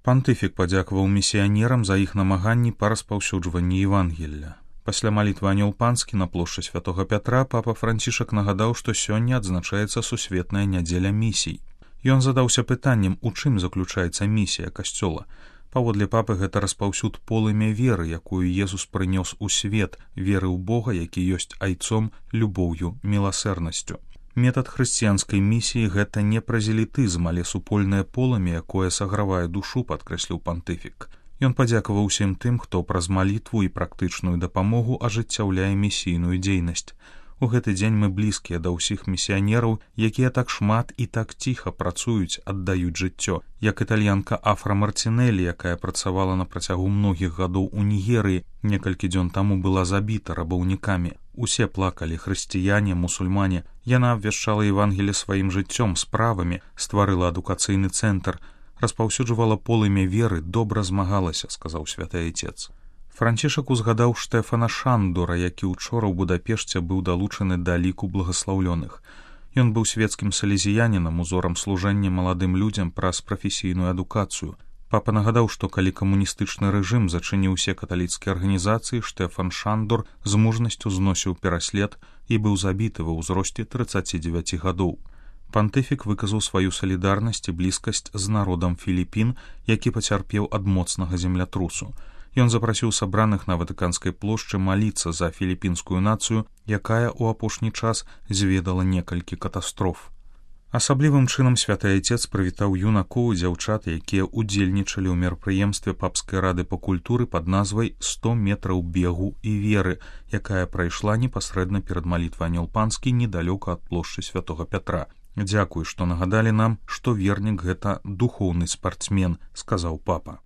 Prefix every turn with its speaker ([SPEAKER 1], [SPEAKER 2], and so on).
[SPEAKER 1] Пантыфік падзякаваў місіянерам за іх намаганні па распаўсюджванні Евангелля. Пасля малітвы анёл панскі на плошчы святога Пятра папа Францішак нагадаў, што сёння адзначаецца сусветная нядзеля місій. Ён задаўся пытаннем, у чым заключаецца місія касцёла. Паводле папы гэта распаўсюд полымя веры, якую Езус прынёс у свет, веры ў Бога, які ёсць айцом, любоўю, міласэрнасцю. Метад хрысціянскай місіі гэта не празелітызм, але супольнае полымя, якое сагравае душу, падкрэсліў пантыфік. Ён падзякаваў усім тым, хто праз малітву і практычную дапамогу ажыццяўляе місійную дзейнасць. У гэты дзень мы блізкія да ўсіх місіянераў, якія так шмат і так ціха працуюць, аддаюць жыццё, як італьянка Афра Мартинелі, якая працавала на працягу многіх гадоў у Нігерыі, некалькі дзён таму была забіта рабаўнікамі. Усе плакалі, хрысціяне, мусульмане. Яна абвяшчала Евангелле сваім жыццём, справамі, стварыла адукацыйны цэнтр, распаўсюджвала полымя веры, добра змагалася, сказаў святы айцец. Францішак узгадаў Штэфана Шандора, які ўчора ў Будапешце быў далучаны да ліку благаслаўлёных. Ён быў свецкім салезіянінам, узорам служэння маладым людзям праз прафесійную адукацыю. Папа нагадаў, што калі камуністычны рэжым зачыніў усе каталіцкія арганізацыі, Штэфан Шандор з мужнасцю зносіў пераслед і быў забіты ва ўзросце 39 гадоў. Пантыфік выказаў сваю салідарнасць і блізкасць з народам Філіпін, які пацярпеў ад моцнага землятрусу. Ён запрасіў сабраных на Ватыканскай плошчы маліцца за філіпінскую нацыю, якая ў апошні час зведала некалькі катастроф. Асаблівым чынам святы айцец прывітаў юнакоў і дзяўчат, якія ўдзельнічалі ў мерапрыемстве папскай рады па культуры пад назвай «100 метраў бегу і веры», якая прайшла непасрэдна перад малітвай анёл панскі недалёка ад плошчы святога Пятра. «Дзякуй, што нагадалі нам, што вернік — гэта духоўны спартсмен», — сказаў папа.